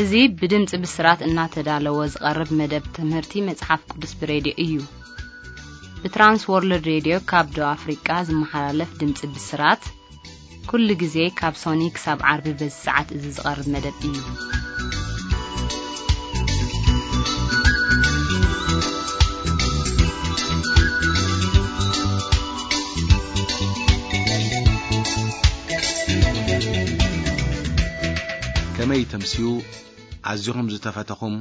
እዚ ብድምጺ ብስራት እናተዳለወ ዝቐርብ መደብ ትምህርቲ መጽሓፍ ቅዱስ ብሬድዮ እዩ። ብትራንስ ወርልድ ሬድዮ ካብ ደቡብ ኣፍሪቃ ዝመሓላለፍ ድምጺ ብስራት፣ ኩሉ ግዜ ካብ ሶኒ ክሳብ ዓርቢ በዚ ሰዓት እዚ ዝቐርብ መደብ እዩ። ከመይ ተምስዩ ኣዚኹም ዝተፈተኹም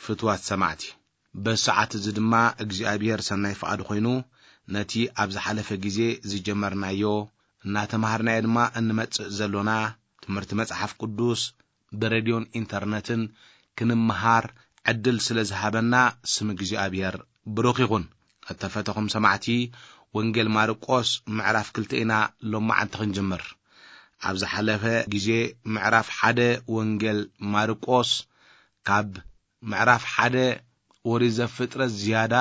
ፍትዋት ሰማዕቲ። በዚ ሰዓት እዚ ድማ እግዚኣብሔር ሰናይ ፍቓዱ ኮይኑ ነቲ ኣብ ዝሓለፈ ግዜ ዝጀመርናዮ እናተማሃርናዮ ድማ እንመጽእ ዘሎና ትምህርቲ መጽሓፍ ቅዱስ ብሬድዮን ኢንተርነትን ክንመሃር ዕድል ስለ ዝሃበና ስም እግዚኣብሔር ብሩኽ ይኹን። እተፈተኹም ሰማዕቲ፣ ወንጌል ማርቆስ ምዕራፍ ክልተ ኢና ሎማዓንቲ ክንጅምር። ኣብ ዝሓለፈ ግዜ ምዕራፍ ሓደ ወንጌል ማርቆስ ካብ ምዕራፍ ሓደ ኦሪት ዘፍጥረት ዝያዳ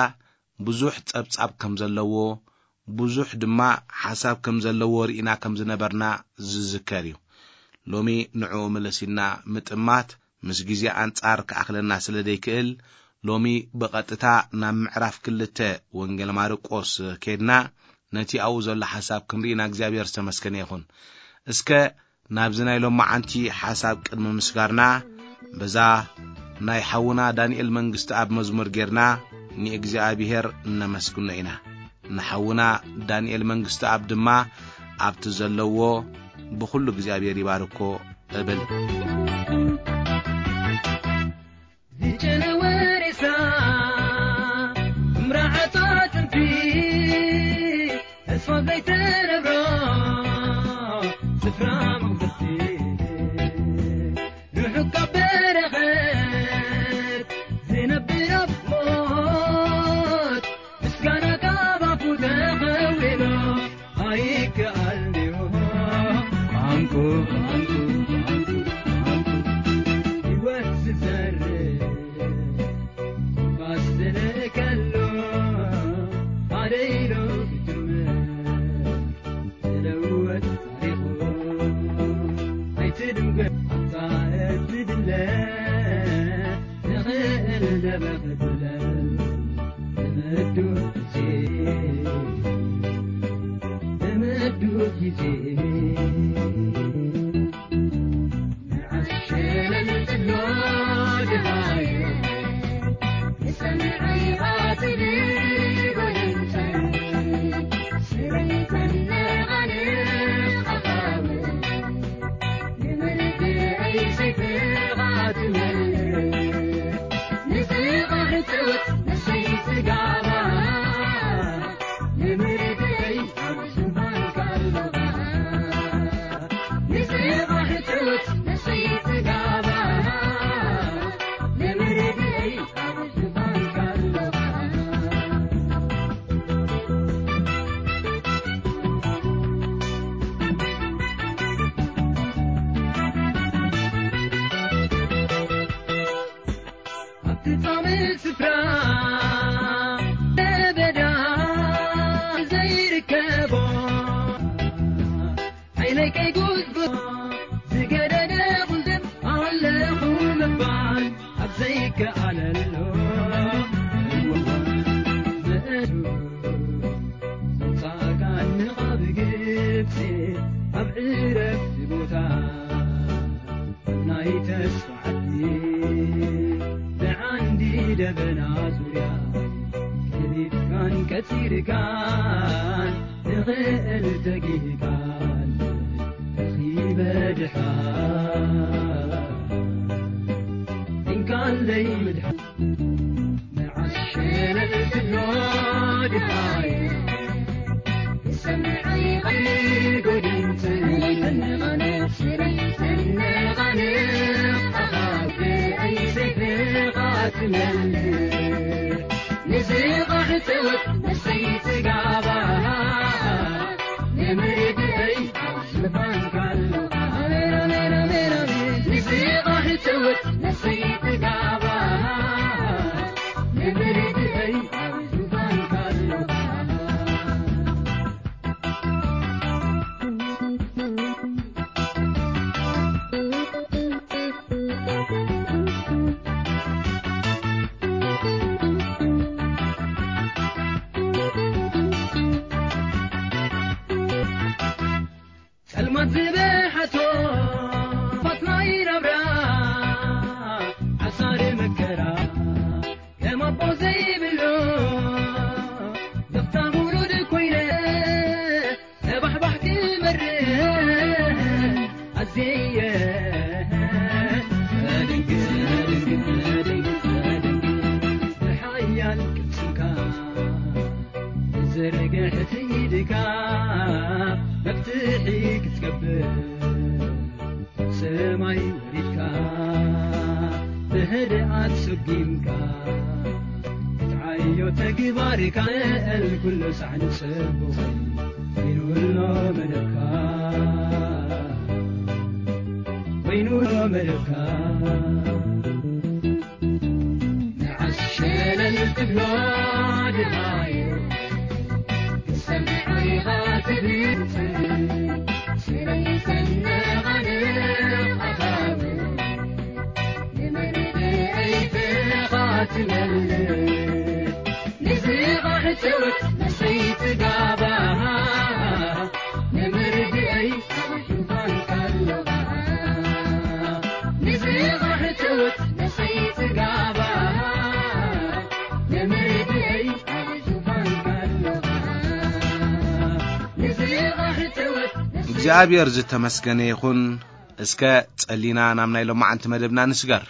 ብዙሕ ጸብጻብ ከም ዘለዎ፣ ብዙሕ ድማ ሓሳብ ከም ዘለዎ ርኢና ከም ዝነበርና ዝዝከር እዩ። ሎሚ ንዕኡ መለሲና ምጥማት ምስ ግዜ ኣንጻር ክኣኽለና ስለ ዘይክእል፣ ሎሚ ብቐጥታ ናብ ምዕራፍ ክልተ ወንጌል ማርቆስ ኬድና ነቲ ኣብኡ ዘሎ ሓሳብ ክንርኢና እግዚኣብሔር ዝተመስገነ ይኹን። እስከ ናብዚ ናይ ሎማዓንቲ ሓሳብ ቅድሚ ምስጋርና፣ በዛ ናይ ሓውና ዳንኤል መንግስትኣብ መዝሙር ጌርና ንእግዚኣብሔር እነመስግኖ ኢና። ንሓውና ዳንኤል መንግስትኣብ ድማ ኣብቲ ዘለዎ ብኹሉ እግዚኣብሔር ይባርኮ እብል። ዝጨነወ ሬሳ ምራዕቶ ጥንፊ፣ ተስፋ ዘይተነብሮ ስፍራ መቕደስቲ፣ ርሑቕ ካብ በረኸት ዝነብር ኣብ ሞት፣ ምስጋና ካብ ኣፉ ተኸዊሉ ኣይከኣልንዮ። ቋንቁ፣ ቋንቁ፣ ቋንቁ፣ ቋንቁ፣ ህይወት ዝዘርእ ንፋስ ዝልእከሉ፣ ሓደ ኢሉ ክጅምር ዝለወጥ ታሪኹ። ኣይትድንግር ኣብታ እትድለ፣ ንኽእል ደበኽ ትብለ። ብምእዱ ግዜ፣ ብምእዱ ግዜ፣ ንዓሸለል ትብሎ ድሃዩ፣ ንሰምዐይ ኣትብል ጎይንተይ፣ ስረይ ተነቓንቕ ኣኻውሕ። ኣብቲ ጻምእ ስፍራ ለበዳ ዘይርከቦ፣ ዓይነይ ከይጉዝጉዝ ዝገደደ ቁልድም ኣለኹ ምባል ኣብ ዘይከኣለሉ እዋን፣ ምእቱ ዘውጻእካኒ ካብ ግብጺ፣ ኣብ ዕረፍቲ ቦታ ናይ ተስፋ ዓዲ፣ ብዓንዲ ደበና ዙርያ፣ ገሊጽካን ቀጺርካን፣ ትኽእል ተጊህካን፣ ረኺበ ክትገብር ሰማይ ወሪድካ ብህድኣት ሰጒምካ ክትዓዮ ተግባርካ ንእል ኩሉ ሳዕ ንጽቡቕ ኮይኑ ኣሎ መደብካ ኮይኑ ኣሎ መደብካ ንዓስ ሸለል ትብሎ ድሃዩ ክሰምዖ ኢኻ ትብል ስለይሰነቓ ንኣኻዊ ንመርድእይ ትኻትለል ንዝቓሕትውት መሰይቲ ጋባ ንምርድእይ ኣብ ዙፋን ካሎኻ ንዝቓሕትውት መሰይቲ ጋባ ንምርድእይ ኣብ ዙፋን ካሎኻ ንዝቓሕትውት እግዚኣብሔር ዝተመስገነ ይኹን። እስከ ጸሊና ናብ ናይ ሎማዓንቲ መደብና ንስገር።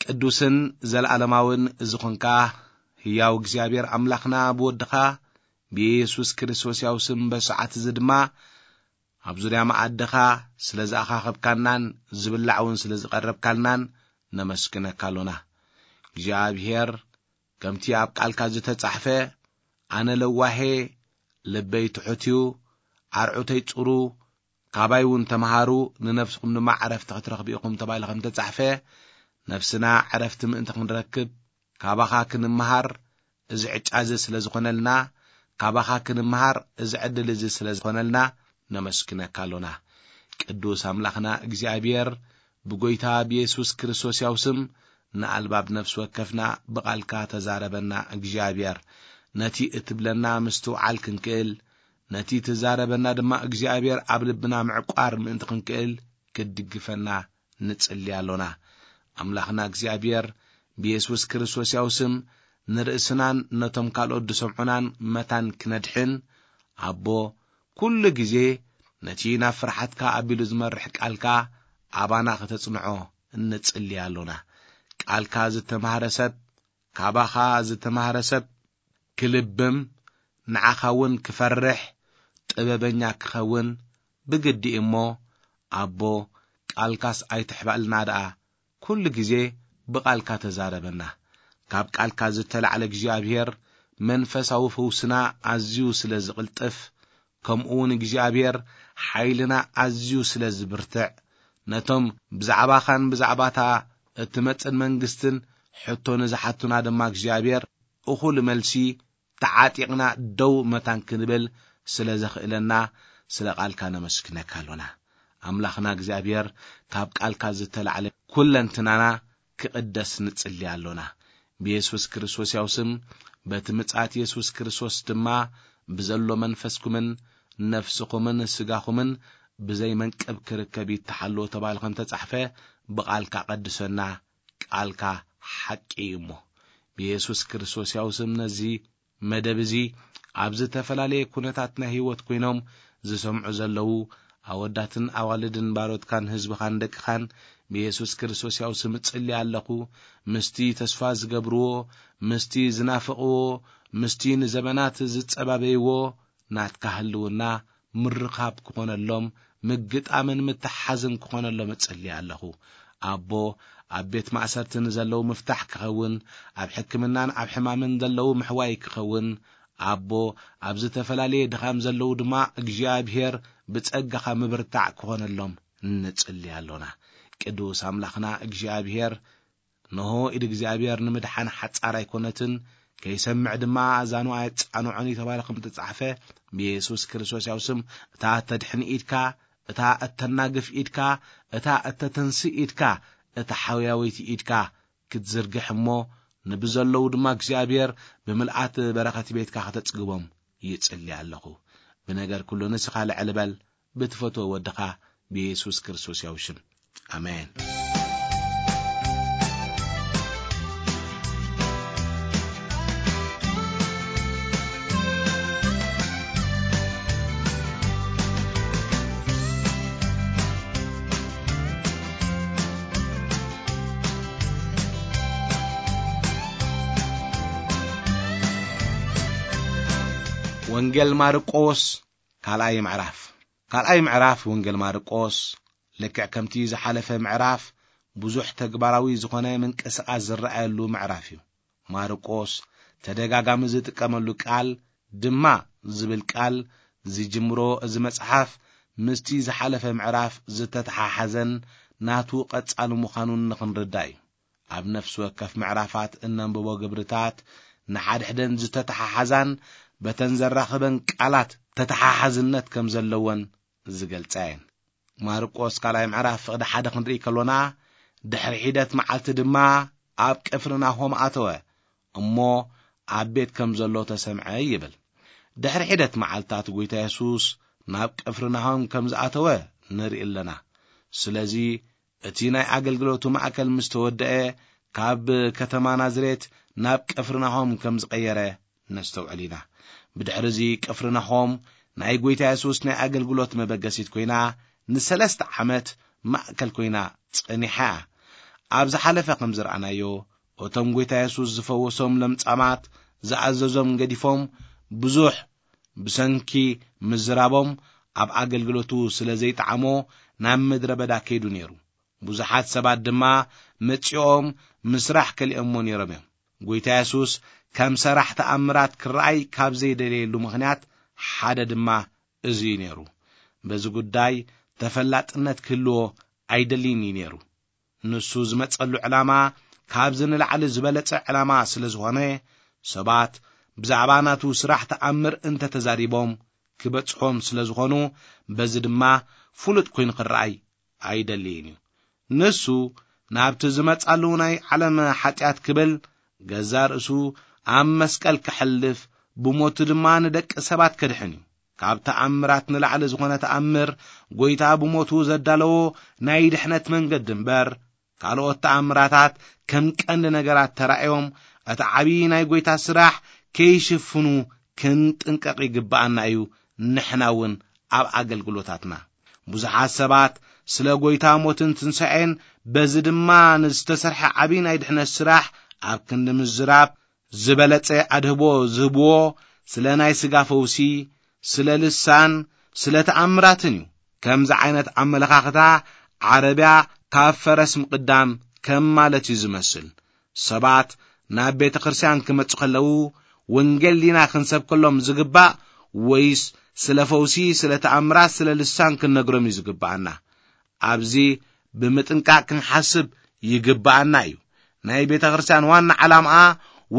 ቅዱስን ዘለዓለማውን ዝኾንካ ህያው እግዚኣብሔር ኣምላኽና ብወድኻ ብየሱስ ክርስቶስ ያው ስም በሰዓት እዚ ድማ ኣብ ዙርያ መኣድኻ ስለ ዝኣኻኸብካናን ዝብላዕ እውን ስለ ዝቐረብካልናን ነመስግነካ ኣሎና። እግዚኣብሔር ከምቲ ኣብ ቃልካ ዝተጻሕፈ ኣነ ለዋሄ ልበይ ትሑት እዩ፣ ኣርዑተይ ጽሩ፣ ካባይ እውን ተምሃሩ፣ ንነፍስኹም ድማ ዕረፍቲ ክትረኽቡ ኢኹም ተባሂሉ ከም ተጻሕፈ፣ ነፍስና ዕረፍቲ ምእንቲ ክንረክብ ካባኻ ክንምሃር እዚ ዕጫ እዚ ስለ ዝኾነልና፣ ካባኻ ክንምሃር እዚ ዕድል እዚ ስለ ዝኾነልና ነመስግነካ ኣሎና። ቅዱስ ኣምላኽና እግዚኣብሔር ብጎይታ ብየሱስ ክርስቶስ ያው ስም ንኣልባብ ነፍሲ ወከፍና ብቓልካ ተዛረበና እግዚኣብሔር። ነቲ እትብለና ምስትውዓል ክንክእል፣ ነቲ ትዛረበና ድማ እግዚኣብሔር ኣብ ልብና ምዕቋር ምእንቲ ክንክእል ክትድግፈና ንጽሊ ኣሎና። ኣምላኽና እግዚኣብሔር ብየሱስ ክርስቶስ ያው ስም ንርእስናን ነቶም ካልኦት ዝሰምዑናን መታን ክነድሕን ኣቦ ኩሉ ግዜ ነቲ ናብ ፍርሓትካ ኣቢሉ ዝመርሕ ቃልካ ኣባና ከተጽንዖ እንጽሊ ኣሎና። ቃልካ ዝተማህረ ሰብ ካባኻ ዝተማህረ ሰብ ክልብም ንዓኻ እውን ክፈርሕ ጥበበኛ ክኸውን ብግዲ እሞ ኣቦ ቃልካስ ኣይትሕባእልና ደኣ ኩሉ ግዜ ብቓልካ ተዛረበና። ካብ ቃልካ ዝተላዕለ እግዚኣብሔር መንፈሳዊ ፈውስና ኣዝዩ ስለ ዝቕልጥፍ ከምኡውን እግዚኣብሔር ሓይልና ኣዝዩ ስለ ዝብርትዕ ነቶም ብዛዕባኻን ብዛዕባታ እትመጽን መንግስትን ሕቶ ንዝሓቱና ድማ እግዚኣብሔር እኹል መልሲ ተዓጢቕና ደው መታን ክንብል ስለ ዘኽእለና ስለ ቃልካ ነመስግነካ ኣሎና። ኣምላኽና እግዚኣብሔር ካብ ቃልካ ዝተላዕለ ኩለንትናና ክቕደስ ንጽሊ ኣሎና። ብየሱስ ክርስቶስ ያው ስም በቲ ምጽኣት የሱስ ክርስቶስ ድማ ብዘሎ መንፈስኩምን ነፍስኹምን ስጋኹምን ብዘይ መንቅብ ክርከብ ይተሓልዎ ተባሂሉ ከም ተጻሕፈ ብቓልካ ቀድሰና። ቃልካ ሓቂ እዩ እሞ ብየሱስ ክርስቶስ ያው ስም ነዚ መደብ እዚ ኣብ ዝተፈላለየ ኩነታት ናይ ህይወት ኮይኖም ዝሰምዑ ዘለዉ ኣወዳትን ኣዋልድን ባሮትካን ህዝብኻን ደቅኻን ብየሱስ ክርስቶስ ያው ስም እጽሊ ኣለኹ። ምስቲ ተስፋ ዝገብርዎ፣ ምስቲ ዝናፍቕዎ፣ ምስቲ ንዘመናት ዝጸባበይዎ ናትካ ህልውና ምርኻብ ክኾነሎም፣ ምግጣምን ምትሓዝን ክኾነሎም እጽሊ ኣለኹ። ኣቦ ኣብ ቤት ማእሰርቲ ንዘለዉ ምፍታሕ ክኸውን፣ ኣብ ሕክምናን ኣብ ሕማምን ዘለዉ ምሕዋይ ክኸውን፣ ኣቦ ኣብ ዝተፈላለየ ድኻም ዘለዉ ድማ እግዚኣብሔር ብጸጋኻ ምብርታዕ ክኾነሎም ንጽሊ ኣሎና። ቅዱስ ኣምላኽና እግዚኣብሔር ንሆ ኢድ እግዚኣብሔር ንምድሓን ሓጻር ኣይኮነትን፣ ከይሰምዕ ድማ ኣዛኑ ኣየጻንዖን እዩ ተባሂሉ ከም ዝተጻሕፈ ብየሱስ ክርስቶስ ያው ስም እታ እተድሕን ኢድካ፣ እታ እተናግፍ ኢድካ፣ እታ እተተንስእ ኢድካ፣ እታ ሓውያወይቲ ኢድካ ክትዝርግሕ እሞ ንብዘለዉ ድማ እግዚኣብሔር ብምልኣት በረኸት ቤትካ ከተጽግቦም ይጽሊ ኣለኹ። ብነገር ኩሉ ንስኻ ልዕል በል ብትፈትዎ ወድኻ ብየሱስ ክርስቶስ ያው ሽም ኣሜን። ወንጌል ማርቆስ ካልኣይ ምዕራፍ። ካልኣይ ምዕራፍ ወንጌል ማርቆስ፣ ልክዕ ከምቲ ዝሓለፈ ምዕራፍ፣ ብዙሕ ተግባራዊ ዝኾነ ምንቅስቓስ ዝረኣየሉ ምዕራፍ እዩ። ማርቆስ ተደጋጋሚ ዝጥቀመሉ ቃል ድማ ዝብል ቃል ዝጅምሮ፣ እዚ መጽሓፍ ምስቲ ዝሓለፈ ምዕራፍ ዝተተሓሓዘን ናቱ ቀጻሊ ምዃኑን ንኽንርዳእ እዩ። ኣብ ነፍሲ ወከፍ ምዕራፋት እነንብቦ ግብርታት ንሓድሕደን ዝተተሓሓዛን በተን ዘራኽበን ቃላት ተተሓሓዝነት ከም ዘለወን ዝገልጻ እየን። ማርቆስ ካልኣይ ምዕራፍ ፍቕዲ ሓደ ክንርኢ ከሎና፣ ድሕሪ ሒደት መዓልቲ ድማ ኣብ ቅፍርናሆም ኣተወ፣ እሞ ኣብ ቤት ከም ዘሎ ተሰምዐ ይብል። ድሕሪ ሒደት መዓልትታት ጐይታ የሱስ ናብ ቅፍርናሆም ከም ዝኣተወ ንርኢ ኣለና። ስለዚ እቲ ናይ ኣገልግሎቱ ማእከል ምስ ተወደአ፣ ካብ ከተማ ናዝሬት ናብ ቅፍርናሆም ከም ዝቐየረ ነስተውዕል ኢና። ብድሕሪ እዚ ቅፍርናሆም ናይ ጐይታ የሱስ ናይ ኣገልግሎት መበገሲት ኰይና፣ ንሰለስተ ዓመት ማእከል ኰይና ጸኒሓ እያ። ኣብ ዝሓለፈ ከም ዝረኣናዮ፣ እቶም ጐይታ የሱስ ዝፈወሶም ለምጻማት ዝኣዘዞም ገዲፎም፣ ብዙሕ ብሰንኪ ምዝራቦም ኣብ ኣገልግሎቱ ስለ ዘይጠዓሞ ናብ ምድረ በዳ ከይዱ ነይሩ። ብዙሓት ሰባት ድማ መጺኦም ምስራሕ ከሊኦሞ ነይሮም እዮም። ጐይታ የሱስ ከም ሰራሕ ተኣምራት ክረኣይ ካብ ዘይደለየሉ ምኽንያት ሓደ ድማ እዚ እዩ ነይሩ። በዚ ጉዳይ ተፈላጥነት ክህልዎ ኣይደልይን እዩ ነይሩ። ንሱ ዝመጸሉ ዕላማ ካብዚ ንላዕሊ ዝበለጸ ዕላማ ስለ ዝኾነ፣ ሰባት ብዛዕባ ናቱ ስራሕ ተኣምር እንተ ተዛሪቦም ክበጽሖም ስለ ዝኾኑ፣ በዚ ድማ ፍሉጥ ኮይኑ ክረኣይ ኣይደልይን እዩ። ንሱ ናብቲ ዝመጻሉ ናይ ዓለም ሓጢኣት ክብል ገዛ ርእሱ ኣብ መስቀል ከሕልፍ፣ ብሞቱ ድማ ንደቂ ሰባት ከድሕን እዩ። ካብ ተኣምራት ንላዕሊ ዝኾነ ተኣምር ጐይታ ብሞቱ ዘዳለዎ ናይ ድሕነት መንገዲ እምበር፣ ካልኦት ተኣምራታት ከም ቀንዲ ነገራት ተራእዮም፣ እቲ ዓብዪ ናይ ጐይታ ስራሕ ከይሽፍኑ ክንጥንቀቕ ይግብኣና እዩ። ንሕና እውን ኣብ ኣገልግሎታትና ብዙሓት ሰባት ስለ ጐይታ ሞትን ትንሳኤን፣ በዚ ድማ ንዝተሰርሐ ዓብዪ ናይ ድሕነት ስራሕ ኣብ ክንዲ ምዝራብ፣ ዝበለጸ ኣድህቦ ዝህብዎ ስለ ናይ ስጋ ፈውሲ፣ ስለ ልሳን፣ ስለ ተኣምራትን እዩ። ከምዚ ዓይነት ኣመለኻኽታ ዓረብያ ካብ ፈረስ ምቕዳም ከም ማለት እዩ ዝመስል። ሰባት ናብ ቤተ ክርስቲያን ክመጹ ከለዉ፣ ወንጌል ዲና ክንሰብከሎም ዝግባእ፣ ወይስ ስለ ፈውሲ፣ ስለ ተኣምራት፣ ስለ ልሳን ክንነግሮም እዩ ዝግባኣና? ኣብዚ ብምጥንቃቕ ክንሓስብ ይግባኣና እዩ። ናይ ቤተ ክርስቲያን ዋና ዓላማኣ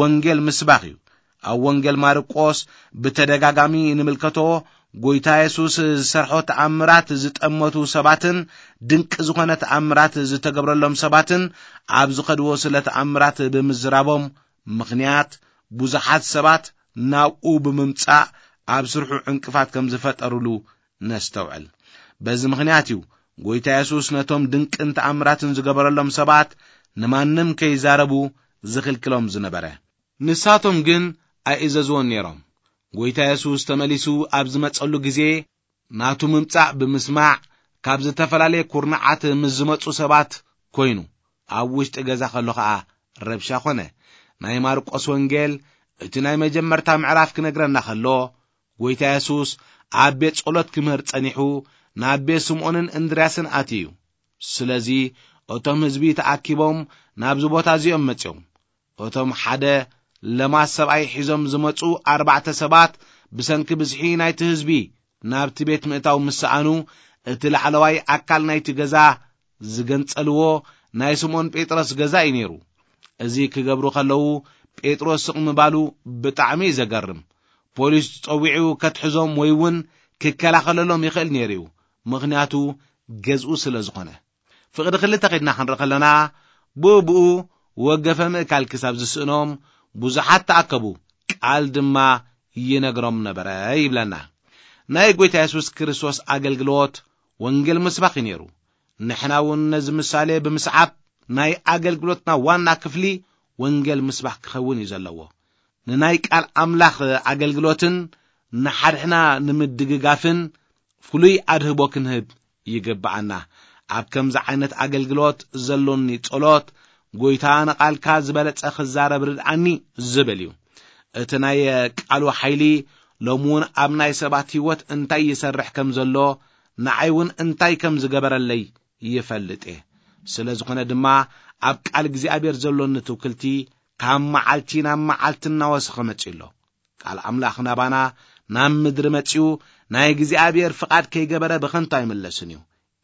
ወንጌል ምስባኽ እዩ። ኣብ ወንጌል ማርቆስ ብተደጋጋሚ ንምልከቶ፣ ጐይታ የሱስ ዝሰርሖ ተኣምራት ዝጠመቱ ሰባትን ድንቂ ዝኾነ ተኣምራት ዝተገብረሎም ሰባትን ኣብ ዝኸድዎ ስለ ተኣምራት ብምዝራቦም ምኽንያት ብዙሓት ሰባት ናብኡ ብምምጻእ ኣብ ስርሑ ዕንቅፋት ከም ዝፈጠሩሉ ነስተውዕል። በዚ ምኽንያት እዩ ጐይታ የሱስ ነቶም ድንቅን ተኣምራትን ዝገበረሎም ሰባት ንማንም ከይዛረቡ ዝኽልክሎም ዝነበረ። ንሳቶም ግን ኣይእዘዝዎን ነይሮም። ጐይታ የሱስ ተመሊሱ ኣብ ዝመጸሉ ግዜ ናቱ ምምጻእ ብምስማዕ ካብ ዝተፈላለየ ኵርናዓት ምስ ዝመጹ ሰባት ኰይኑ፣ ኣብ ውሽጢ ገዛ ከሎ ኸኣ ረብሻ ኾነ። ናይ ማርቆስ ወንጌል እቲ ናይ መጀመርታ ምዕራፍ ክነግረና ኸሎ፣ ጐይታ የሱስ ኣብ ቤት ጸሎት ክምህር ጸኒሑ፣ ናብ ቤት ስምዖንን እንድርያስን ኣትዩ እዩ። ስለዚ እቶም ህዝቢ ተኣኪቦም ናብዚ ቦታ እዚኦም መጺኦም። እቶም ሓደ ለማስ ሰብኣይ ሒዞም ዝመጹ ኣርባዕተ ሰባት ብሰንኪ ብዝሒ ናይቲ ህዝቢ ናብቲ ቤት ምእታው ምስ ሰኣኑ፣ እቲ ላዕለዋይ ኣካል ናይቲ ገዛ ዝገንጸልዎ ናይ ስምዖን ጴጥሮስ ገዛ እዩ ነይሩ። እዚ ክገብሩ ከለዉ ጴጥሮስ ስቕ ምባሉ ብጣዕሚ እዩ ዘገርም። ፖሊስ ጸዊዑ ከትሕዞም ወይ እውን ክከላኸለሎም ይኽእል ነይሩ እዩ፣ ምኽንያቱ ገዝኡ ስለ ዝኾነ። ፍቕዲ ክልተ ኸድና ክንርኢ ከለና፣ ብኡ ብኡ ወገፈ ምእካል ክሳብ ዝስእኖም ብዙሓት ተኣከቡ፣ ቃል ድማ ይነግሮም ነበረ ይብለና። ናይ ጐይታ የሱስ ክርስቶስ ኣገልግሎት ወንጌል ምስባኽ እዩ ነይሩ። ንሕና እውን ነዚ ምሳሌ ብምስዓብ ናይ ኣገልግሎትና ዋና ክፍሊ ወንጌል ምስባኽ ክኸውን እዩ ዘለዎ። ንናይ ቃል ኣምላኽ ኣገልግሎትን ንሓድሕና ንምድግጋፍን ፍሉይ ኣድህቦ ክንህብ ይግብኣና። ኣብ ከምዚ ዓይነት ኣገልግሎት ዘሎኒ ጸሎት፣ "ጐይታ ንቓልካ ዝበለጸ ክዛረብ ርድኣኒ" ዝብል እዩ። እቲ ናይ ቃሉ ሓይሊ ሎሚ እውን ኣብ ናይ ሰባት ህይወት እንታይ ይሰርሕ ከም ዘሎ ንዓይ እውን እንታይ ከም ዝገበረለይ ይፈልጥ እየ። ስለ ዝኾነ ድማ ኣብ ቃል እግዚኣብሔር ዘሎኒ ትውክልቲ ካብ መዓልቲ ናብ መዓልቲ እናወሰኸ መጺኡ ኣሎ። ቃል ኣምላኽ ናባና ናብ ምድሪ መጺኡ ናይ እግዚኣብሔር ፍቓድ ከይገበረ ብኸንቱ ኣይምለስን እዩ።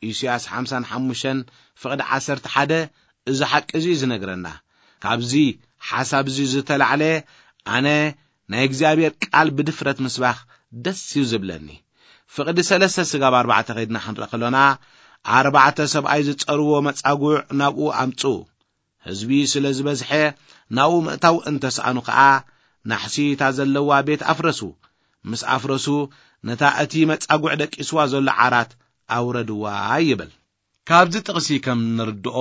ኢሳያስ ሓምሳን ሓሙሽተን ፍቕዲ ዓሰርተ ሓደ እዚ ሓቂ እዚ እዩ ዝነግረና። ካብዚ ሓሳብ እዚ ዝተላዕለ ኣነ ናይ እግዚኣብሔር ቃል ብድፍረት ምስባኽ ደስ እዩ ዝብለኒ። ፍቕዲ ሰለስተ ስጋብ ኣርባዕተ ከይድና ክንርኢ ከሎና ኣርባዕተ ሰብኣይ ዝጸርዎ መጻጉዕ ናብኡ ኣምጽኡ። ህዝቢ ስለ ዝበዝሐ ናብኡ ምእታው እንተሰኣኑ ከኣ ናሕሲ እታ ዘለዋ ቤት ኣፍረሱ። ምስ ኣፍረሱ ነታ እቲ መጻጉዕ ደቂስዋ ዘሎ ዓራት ኣውረድዋ ይብል። ካብዚ ጥቕሲ ከም ንርድኦ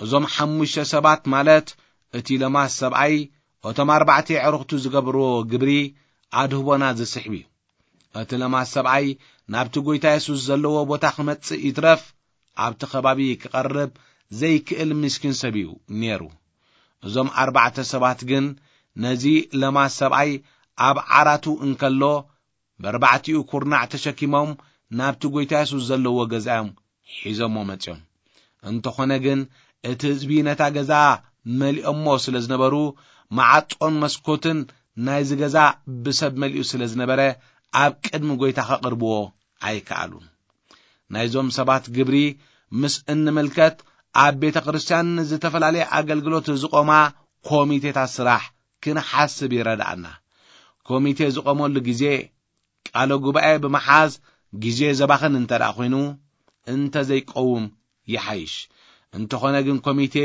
እዞም ሓሙሽተ ሰባት ማለት እቲ ለማስ ሰብኣይ እቶም ኣርባዕተ ኣዕሩኽቱ ዝገብርዎ ግብሪ ኣድህቦና ዝስሕብ እዩ። እቲ ለማስ ሰብኣይ ናብቲ ጎይታ የሱስ ዘለዎ ቦታ ክመጽእ ይትረፍ ኣብቲ ከባቢ ክቐርብ ዘይክእል ምስኪን ሰብ እዩ ነይሩ። እዞም ኣርባዕተ ሰባት ግን ነዚ ለማስ ሰብኣይ ኣብ ዓራቱ እንከሎ ብኣርባዕቲኡ ኩርናዕ ተሸኪሞም ናብቲ ጎይታ የሱስ ዘለዎ ገዛ እዮም ሒዞሞ መጺኦም። እንተኾነ ግን እቲ ህዝቢ ነታ ገዛ መሊኦሞ ስለ ዝነበሩ መዓጾን መስኮትን ናይዚ ገዛ ብሰብ መሊኡ ስለ ዝነበረ ኣብ ቅድሚ ጎይታ ከቕርብዎ ኣይከኣሉን። ናይዞም ሰባት ግብሪ ምስ እንምልከት ኣብ ቤተ ክርስቲያን ዝተፈላለየ ኣገልግሎት ዝቆማ ኮሚቴታት ስራሕ ክንሓስብ ይረድኣና። ኮሚቴ ዝቆመሉ ግዜ ቃለ ጉባኤ ብምሓዝ ግዜ ዘባኽን እንተ ደኣ ኮይኑ እንተ ዘይቀውም ይሓይሽ። እንተኾነ ግን ኮሚቴ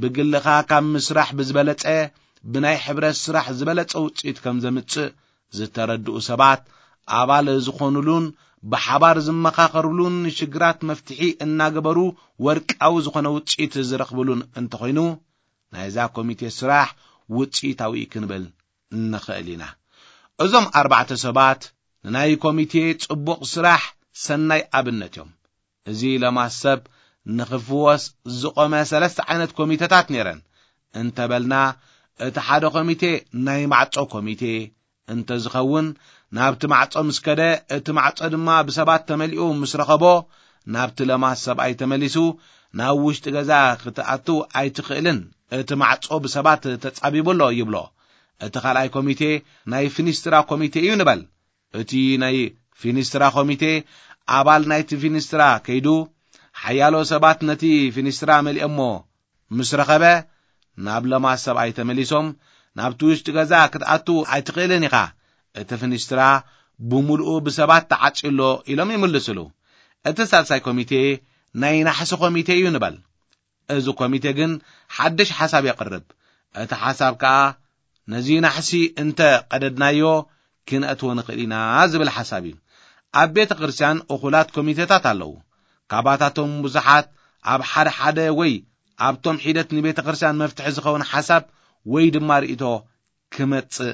ብግልኻ ካብ ምስራሕ ብዝበለጸ ብናይ ሕብረት ስራሕ ዝበለጸ ውጽኢት ከም ዘምጽእ ዝተረድኡ ሰባት ኣባል ዝኾኑሉን ብሓባር ዝመኻኸሩሉን ንሽግራት መፍትሒ እናገበሩ ወርቃዊ ዝኾነ ውጽኢት ዝረኽብሉን እንተኾይኑ ናይዛ ኮሚቴ ስራሕ ውጽኢታዊ ክንብል ንኽእል ኢና። እዞም ኣርባዕተ ሰባት ንናይ ኮሚቴ ጽቡቕ ስራሕ ሰናይ ኣብነት እዮም። እዚ ለማስ ሰብ ንኽፍወስ ዝቖመ ሰለስተ ዓይነት ኮሚቴታት ነይረን እንተበልና እቲ ሓደ ኮሚቴ ናይ ማዕጾ ኮሚቴ እንተ ዝኸውን ናብቲ ማዕጾ ምስ ከደ እቲ ማዕጾ ድማ ብሰባት ተመሊኡ ምስ ረኸቦ ናብቲ ለማስ ሰብኣይ ተመሊሱ ናብ ውሽጢ ገዛ ክትኣቱ ኣይትኽእልን፣ እቲ ማዕጾ ብሰባት ተጻቢቡ ኣሎ ይብሎ። እቲ ካልኣይ ኮሚቴ ናይ ፊኒስትራ ኮሚቴ እዩ ንበል። እቲ ናይ ፊኒስትራ ኮሚቴ ኣባል ናይቲ ፊኒስትራ ከይዱ ሓያሎ ሰባት ነቲ ፊኒስትራ መሊኦሞ ምስ ረኸበ ናብ ለማስ ሰብኣይ ተመሊሶም ናብቲ ውሽጢ ገዛ ክትኣቱ ኣይትኽእልን ኢኻ፣ እቲ ፊኒስትራ ብምሉኡ ብሰባት ተዓጽዩ ኣሎ ኢሎም ይምልስሉ። እቲ ሳልሳይ ኮሚቴ ናይ ናሕሲ ኮሚቴ እዩ ንበል። እዚ ኮሚቴ ግን ሓድሽ ሓሳብ የቕርብ። እቲ ሓሳብ ከኣ ነዚ ናሕሲ እንተ ቀደድናዮ ክንእትዎ ንኽእል ኢና ዝብል ሓሳብ እዩ። ኣብ ቤተ ክርስቲያን እኹላት ኮሚቴታት ኣለዉ። ካባታቶም ብዙሓት ኣብ ሓደ ሓደ ወይ ኣብቶም ሒደት ንቤተ ክርስቲያን መፍትሒ ዝኸውን ሓሳብ ወይ ድማ ርእይቶ ክመጽእ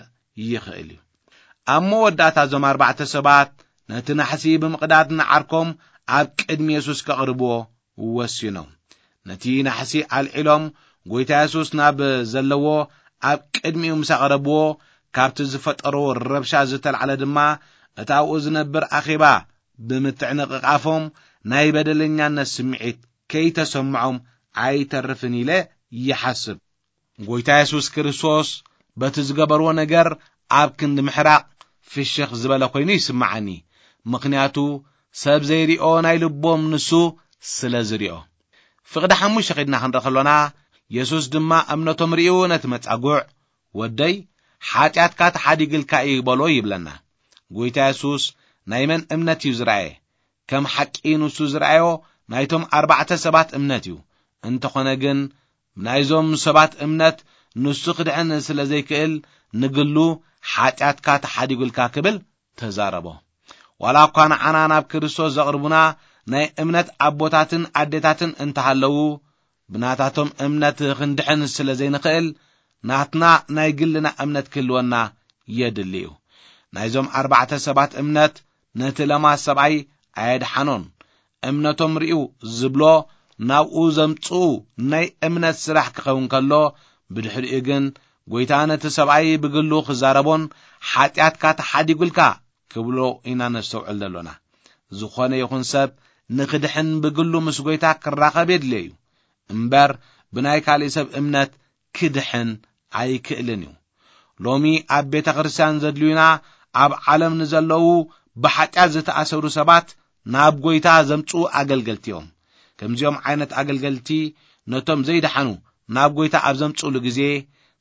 ይኽእል እዩ። ኣብ መወዳእታ እዞም ኣርባዕተ ሰባት ነቲ ናሕሲ ብምቕዳድ ንዓርኮም ኣብ ቅድሚ የሱስ ከቕርብዎ ወሲኖም። ነቲ ናሕሲ ኣልዒሎም ጎይታ የሱስ ናብ ዘለዎ ኣብ ቅድሚኡ ምስ ኣቕረብዎ ካብቲ ዝፈጠርዎ ረብሻ ዝተላዕለ ድማ እቲ ኣብኡ ዝነብር ኣኼባ ብምትዕንቕቓፎም ናይ በደለኛነት ስምዒት ከይተሰምዖም ኣይተርፍን ኢለ ይሓስብ። ጎይታ የሱስ ክርስቶስ በቲ ዝገበርዎ ነገር ኣብ ክንዲ ምሕራቕ ፍሽኽ ዝበለ ኮይኑ ይስምዓኒ። ምኽንያቱ ሰብ ዘይሪኦ ናይ ልቦም ንሱ ስለ ዝሪኦ። ፍቕዲ ሓሙሽተ ኸድና ክንርኢ ከሎና የሱስ ድማ እምነቶም ርእዩ ነቲ መጻጉዕ ወደይ ሓጢኣትካ ተሓዲግልካ እዩ በሎ ይብለና። ጎይታ የሱስ ናይ መን እምነት እዩ ዝረኣየ? ከም ሓቂ ንሱ ዝረኣዮ ናይቶም ኣርባዕተ ሰባት እምነት እዩ። እንተኾነ ግን ናይዞም ሰባት እምነት ንሱ ክድሕን ስለ ዘይክእል ንግሉ ሓጢኣትካ ተሓዲጉልካ ክብል ተዛረቦ። ዋላ እኳ ንዓና ናብ ክርስቶስ ዘቕርቡና ናይ እምነት ኣቦታትን ኣዴታትን እንተሃለዉ ብናታቶም እምነት ክንድሕን ስለ ዘይንኽእል ናትና ናይ ግልና እምነት ክህልወና የድሊ እዩ። ናይዞም ኣርባዕተ ሰባት እምነት ነቲ ለማስ ሰብኣይ ኣየድሓኖን። እምነቶም ርእዩ ዝብሎ ናብኡ ዘምጽኡ ናይ እምነት ስራሕ ክኸውን ከሎ ብድሕሪኡ ግን ጎይታ ነቲ ሰብኣይ ብግሉ ክዛረቦን ሓጢኣትካ ተሓዲጉልካ ክብሎ ኢና ነስተውዕል ዘሎና። ዝኾነ ይኹን ሰብ ንኽድሕን ብግሉ ምስ ጐይታ ክራኸብ የድልዮ እዩ እምበር፣ ብናይ ካልእ ሰብ እምነት ክድሕን ኣይክእልን እዩ። ሎሚ ኣብ ቤተ ክርስቲያን ዘድልዩና፣ ኣብ ዓለም ንዘለዉ ብሓጢኣት ዝተኣሰሩ ሰባት ናብ ጐይታ ዘምጽኡ ኣገልገልቲ እዮም። ከምዚኦም ዓይነት ኣገልገልቲ ነቶም ዘይደሓኑ ናብ ጐይታ ኣብ ዘምጽኡሉ ግዜ፣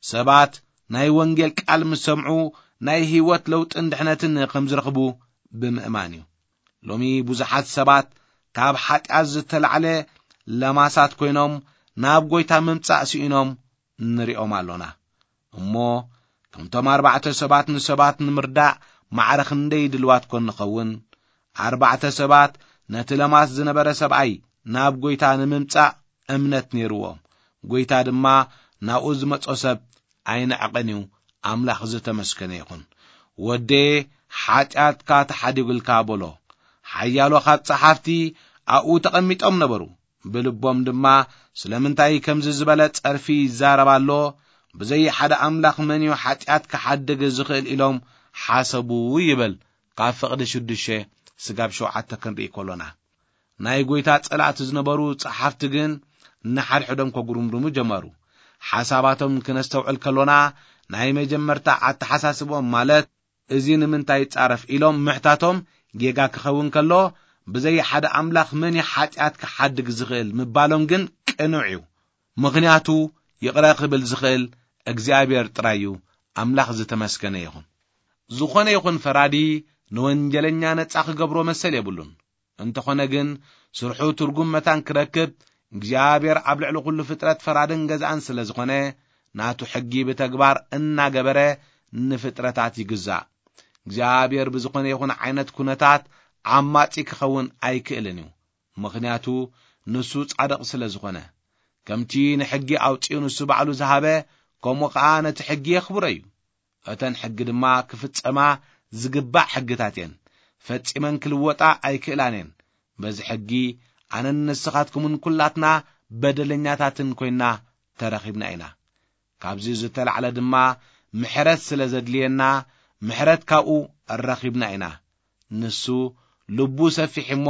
ሰባት ናይ ወንጌል ቃል ምስ ሰምዑ፣ ናይ ህይወት ለውጥን ድሕነትን ከም ዝረኽቡ ብምእማን እዩ። ሎሚ ብዙሓት ሰባት ካብ ሓጢኣት ዝተላዕለ ለማሳት ኮይኖም ናብ ጐይታ ምምጻእ ስኢኖም ንሪኦም ኣሎና። እሞ ከምቶም ኣርባዕተ ሰባት ንሰባት ንምርዳእ ማዕረ ክንደይ ድልዋት ኮን ንኸውን? ኣርባዕተ ሰባት ነቲ ለማስ ዝነበረ ሰብኣይ ናብ ጐይታ ንምምጻእ እምነት ነይርዎም። ጐይታ ድማ ናብኡ ዝመጾ ሰብ ኣይንዕቕን እዩ። ኣምላኽ ዝተመስገነ ይኹን። "ወደየ፣ ሓጢኣትካ ተሓዲጉልካ" በሎ። ሓያሎ ካብ ጸሓፍቲ ኣብኡ ተቐሚጦም ነበሩ። ብልቦም ድማ፣ "ስለምንታይ ከምዚ ዝበለ ጸርፊ ይዛረብ ኣሎ? ብዘይ ሓደ ኣምላኽ መን እዩ ሓጢኣት ክሓድግ ዝኽእል?" ኢሎም ሓሰቡ ይብል። ካብ ፍቕዲ ሽዱሽተ ስጋብ ሸውዓተ ክንርኢ ከሎና፣ ናይ ጐይታ ጸላእቲ ዝነበሩ ጸሓፍቲ ግን ንሓድሕዶም ከጉርምርሙ ጀመሩ። ሓሳባቶም ክነስተውዕል ከሎና፣ ናይ መጀመርታ ኣተሓሳስቦም፣ ማለት "እዚ ንምንታይ ይጻረፍ?" ኢሎም ምሕታቶም ጌጋ ክኸውን ከሎ፣ "ብዘይ ሓደ ኣምላኽ መን እዩ ሓጢኣት ክሓድግ ዝኽእል?" ምባሎም ግን ቅኑዕ እዩ። ምኽንያቱ፣ ይቕረ ክብል ዝኽእል እግዚኣብሔር ጥራይ እዩ። ኣምላኽ ዝተመስገነ ይኹን። ዝኾነ ይኹን ፈራዲ ንወንጀለኛ ነጻ ክገብሮ መሰል የብሉን። እንተኾነ ግን፣ ስርሑ ትርጉም መታን ክረክብ፣ እግዚኣብሔር ኣብ ልዕሊ ኩሉ ፍጥረት ፈራድን ገዛእን ስለ ዝኾነ፣ ናቱ ሕጊ ብተግባር እናገበረ ንፍጥረታት ይግዛእ። እግዚኣብሔር ብዝኾነ ይኹን ዓይነት ኩነታት ዓማጺ ክኸውን ኣይክእልን እዩ። ምኽንያቱ፣ ንሱ ጻድቕ ስለ ዝኾነ። ከምቲ ንሕጊ ኣውጺኡ ንሱ ባዕሉ ዝሃበ፣ ከምኡ ኸኣ ነቲ ሕጊ የኽብሮ እዩ። እተን ሕጊ ድማ ክፍጸማ ዝግባእ ሕግታት እየን። ፈጺመን ክልወጣ ኣይክእላን እየን። በዚ ሕጊ ኣነን ንስኻትኩምን ኩላትና በደለኛታትን ኮይንና ተረኺብና ኢና። ካብዚ ዝተላዕለ ድማ ምሕረት ስለ ዘድልየና፣ ምሕረት ካብኡ ረኺብና ኢና። ንሱ ልቡ ሰፊሕ እሞ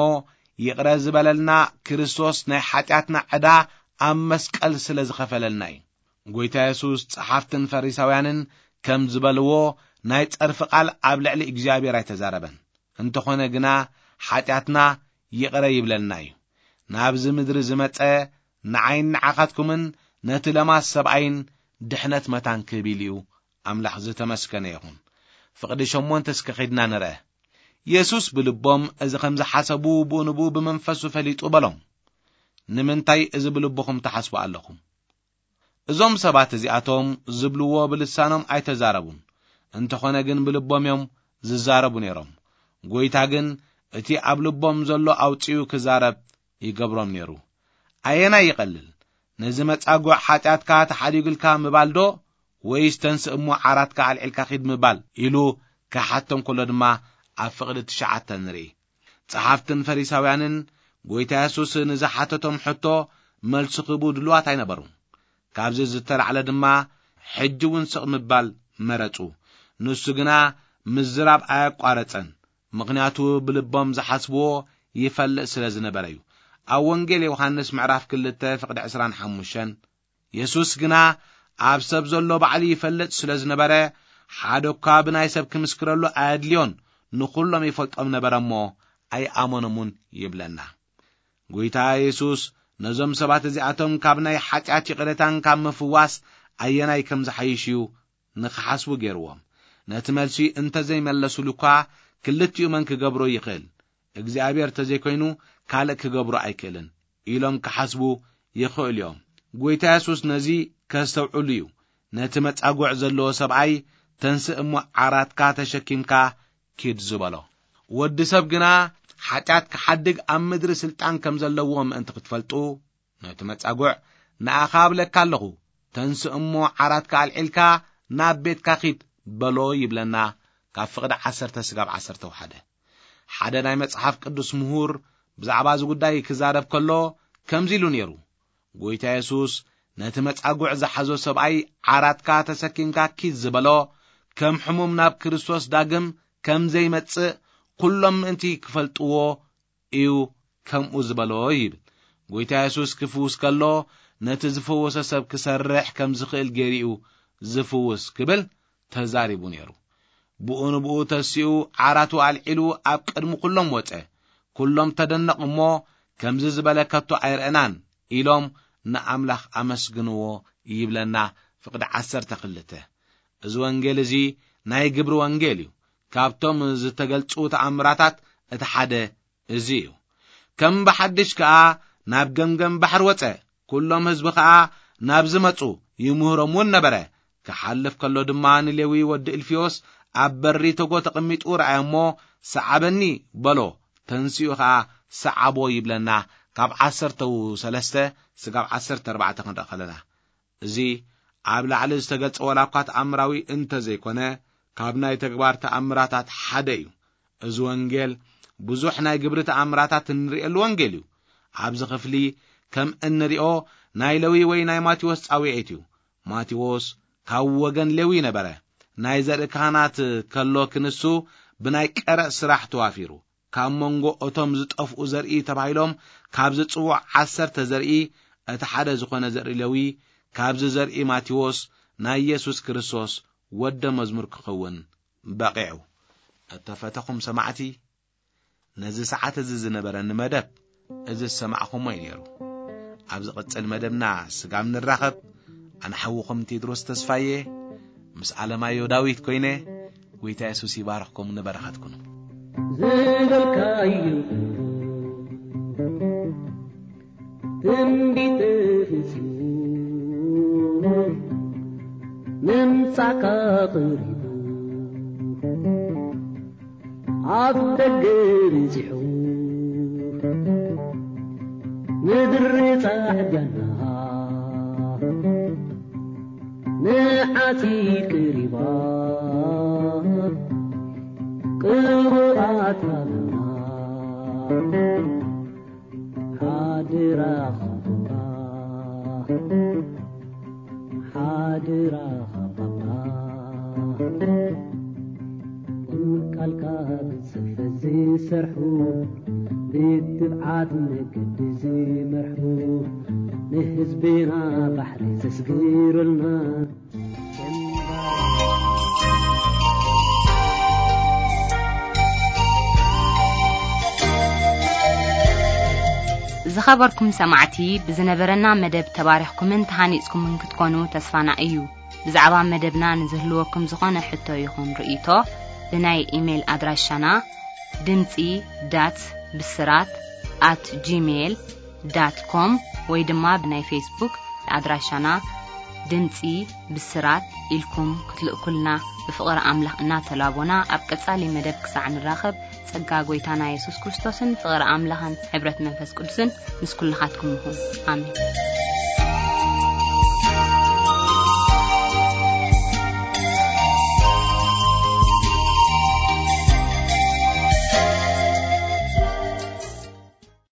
ይቕረ ዝበለልና፣ ክርስቶስ ናይ ሓጢኣትና ዕዳ ኣብ መስቀል ስለ ዝኸፈለልና እዩ። ጐይታ የሱስ ጸሓፍትን ፈሪሳውያንን ከም ዝበልዎ ናይ ጸርፊ ቃል ኣብ ልዕሊ እግዚኣብሔር ኣይተዛረበን። እንተኾነ ግና ሓጢኣትና ይቕረ ይብለልና እዩ። ናብዚ ምድሪ ዝመጸ ንዓይን ንዓኻትኩምን ነቲ ለማስ ሰብኣይን ድሕነት መታን ክህብ ኢሉ እዩ። ኣምላኽ ዝተመስገነ ይኹን። ፍቕዲ ሸሞንተ እስከ ኸይድና ንርአ። የሱስ ብልቦም እዚ ኸም ዝሓሰቡ ብኡ ንብኡ ብመንፈሱ ፈሊጡ በሎም፣ "ንምንታይ እዚ ብልብኹም ትሓስቡ ኣለኹም?" እዞም ሰባት እዚኣቶም ዝብልዎ ብልሳኖም ኣይተዛረቡን፣ እንተኾነ ግን ብልቦም እዮም ዝዛረቡ ነይሮም። ጐይታ ግን እቲ ኣብ ልቦም ዘሎ ኣውጺኡ ክዛረብ ይገብሮም ነይሩ። ኣየናይ ይቐልል? ነዚ መጻጉዕ ሓጢኣትካ ተሓዲጉልካ ምባል ዶ፣ ወይስ ተንስእ እሞ ዓራትካ ኣልዒልካ ኺድ ምባል? ኢሉ ክሓቶም ከሎ ድማ ኣብ ፍቕዲ ትሽዓተ ንርኢ። ጸሓፍትን ፈሪሳውያንን ጐይታ የሱስ ንዝሓተቶም ሕቶ መልሲ ክህቡ ድሉዋት ኣይነበሩን። ካብዚ ዝተላዕለ ድማ ሕጂ እውን ስቕ ምባል መረጹ። ንሱ ግና ምዝራብ ኣየቋረጸን፣ ምኽንያቱ ብልቦም ዝሓስብዎ ይፈልጥ ስለ ዝነበረ እዩ። ኣብ ወንጌል ዮሃንስ ምዕራፍ ክልተ ፍቕዲ ዕስራን ሓሙሽተን፣ የሱስ ግና ኣብ ሰብ ዘሎ ባዕሉ ይፈልጥ ስለ ዝነበረ፣ ሓደ እኳ ብናይ ሰብ ክምስክረሉ ኣየድልዮን፣ ንኹሎም ይፈልጦም ነበረ እሞ ኣይኣመኖሙን ይብለና። ጐይታ የሱስ ነዞም ሰባት እዚኣቶም ካብ ናይ ሓጢኣት ይቕሬታን ካብ ምፍዋስ ኣየናይ ከም ዝሓይሽ እዩ ንኽሓስቡ ገይርዎም። ነቲ መልሲ እንተ ዘይመለሱሉ እኳ፣ ክልቲኡ መን ክገብሮ ይኽእል? እግዚኣብሔር እንተ ዘይኮይኑ ካልእ ክገብሮ ኣይክእልን ኢሎም ክሓስቡ ይኽእሉ እዮም። ጐይታ የሱስ ነዚ ከስተውዕሉ እዩ ነቲ መጻጉዕ ዘለዎ ሰብኣይ፣ "ተንስእ እሞ ዓራትካ ተሸኪምካ ኪድ" ዝበሎ። ወዲ ሰብ ግና ሓጢኣት ክሓድግ ኣብ ምድሪ ስልጣን ከም ዘለዎ ምእንቲ ክትፈልጡ፣ ነቲ መጻጉዕ፣ "ንኣኻ እብለካ ኣለኹ፣ ተንስእ እሞ ዓራትካ ኣልዒልካ ናብ ቤትካ ኪድ" በሎ ይብለና፣ ካብ ፍቕዲ ዓሰርተ ስጋብ ዓሰርተ ሓደ። ሓደ ናይ መጽሓፍ ቅዱስ ምሁር ብዛዕባ እዚ ጉዳይ ክዛረብ ከሎ ከምዚ ኢሉ ነይሩ፣ "ጐይታ የሱስ ነቲ መጻጉዕ ዝሓዞ ሰብኣይ ዓራትካ ተሰኪምካ ኪድ ዝበሎ፣ ከም ሕሙም ናብ ክርስቶስ ዳግም ከም ዘይመጽእ ኩሎም ምእንቲ ክፈልጥዎ እዩ ከምኡ ዝበሎ ይብል። ጎይታ የሱስ ክፍውስ ከሎ፣ ነቲ ዝፈወሰ ሰብ ክሰርሕ ከም ዝኽእል ገይሩ እዩ ዝፍውስ ክብል ተዛሪቡ ነይሩ። ብኡ ንብኡ ተሲኡ ዓራቱ ኣልዒሉ ኣብ ቅድሚ ኩሎም ወጸ። ኩሎም ተደነቑ እሞ፣ "ከምዚ ዝበለ ከቶ ኣይረእናን" ኢሎም ንኣምላኽ ኣመስግንዎ ይብለና ፍቕዲ ዓሰርተ ክልተ። እዚ ወንጌል እዚ ናይ ግብሪ ወንጌል እዩ። ካብቶም ዝተገልጹ ተኣምራታት እቲ ሓደ እዚ እዩ። ከም ብሓድሽ ከኣ ናብ ገምገም ባሕሪ ወጸ። ኩሎም ህዝቢ ከኣ ናብዚ መጹ፣ ይምህሮም እውን ነበረ። ክሓልፍ ከሎ ድማ ንሌዊ ወዲ እልፍዮስ ኣብ በሪ ተጎ ተቐሚጡ ረኣዮ እሞ፣ "ሰዓበኒ" በሎ። ተንሲኡ ከኣ ሰዓቦ ይብለና፣ ካብ ዓሰርተ ሰለስተ ስጋብ ዓሰርተ ኣርባዕተ ክንርኢ ከለና። እዚ ኣብ ላዕሊ ዝተገልጸ ዋላ እኳ ተኣምራዊ እንተ ዘይኮነ፣ ካብ ናይ ተግባር ተኣምራታት ሓደ እዩ። እዚ ወንጌል ብዙሕ ናይ ግብሪ ተኣምራታት እንርእየሉ ወንጌል እዩ። ኣብዚ ክፍሊ ከም እንርእዮ ናይ ሌዊ ወይ ናይ ማቴዎስ ጻውዒት እዩ። ማቴዎስ ካብ ወገን ሌዊ ነበረ። ናይ ዘርኢ ካህናት ከሎ ክንሱ ብናይ ቀረጽ ስራሕ ተዋፊሩ። ካብ መንጎ እቶም ዝጠፍኡ ዘርኢ ተባሂሎም ካብ ዝጽውዑ ዓሰርተ ዘርኢ እቲ ሓደ ዝኾነ ዘርኢ ሌዊ ካብዚ ዘርኢ ማቴዎስ ናይ የሱስ ክርስቶስ ወደ መዝሙር ክኸውን በቒዑ። እተፈተኹም ሰማዕቲ፣ ነዚ ሰዓት እዚ ዝነበረኒ መደብ እዚ ዝሰማዕኹሞ እዩ ነይሩ። ኣብ ዝቕጽል መደብና ስጋብ ንራኸብ፣ ኣነ ሓውኹም ቴድሮስ ተስፋዬ ምስ ኣለማዮ ዳዊት ኮይነ፣ ጎይታ የሱስ ይባርኽኩም፣ ንበረኸት ኩኑ። ዝበልካዮ ትንቢት ተፈጺሙ፣ ምምጻእካ ቀሪቡ፣ ኣብ ደገ በጺሑ፣ ምድሪ ጻዕዳና ንዓቲ ቀሪባ፣ ቅቡኣት ሃብና፣ ሓድራ ኻባባ፣ ሓድራ ኻባባ። ቃልካ ብጽፈት ዝሰርሑ፣ ብትብዓት መገዲ ዝመርሑ፣ ንህዝብና ባሕሪ ዘስግሩልና። ዝኸበርኩም ሰማዕቲ፣ ብዝነበረና መደብ ተባሪኽኩምን ተሃኒጽኩምን ክትኮኑ ተስፋና እዩ። ብዛዕባ መደብና ንዝህልወኩም ዝኾነ ሕቶ ይኹን ርእይቶ፣ ብናይ ኢሜይል ኣድራሻና ድምጺ ዳት ብስራት ኣት ጂሜይል ዳት ኮም ወይ ድማ ብናይ ፌስቡክ ኣድራሻና ድምጺ ብስራት ኢልኩም ክትልእኩልና ብፍቕሪ ኣምላኽ እናተላቦና፣ ኣብ ቀጻሊ መደብ ክሳዕ ንራኸብ፣ ጸጋ ጐይታና የሱስ ክርስቶስን ፍቕሪ ኣምላኽን ሕብረት መንፈስ ቅዱስን ምስ ኩልኻትኩም ይኹን። ኣሜን።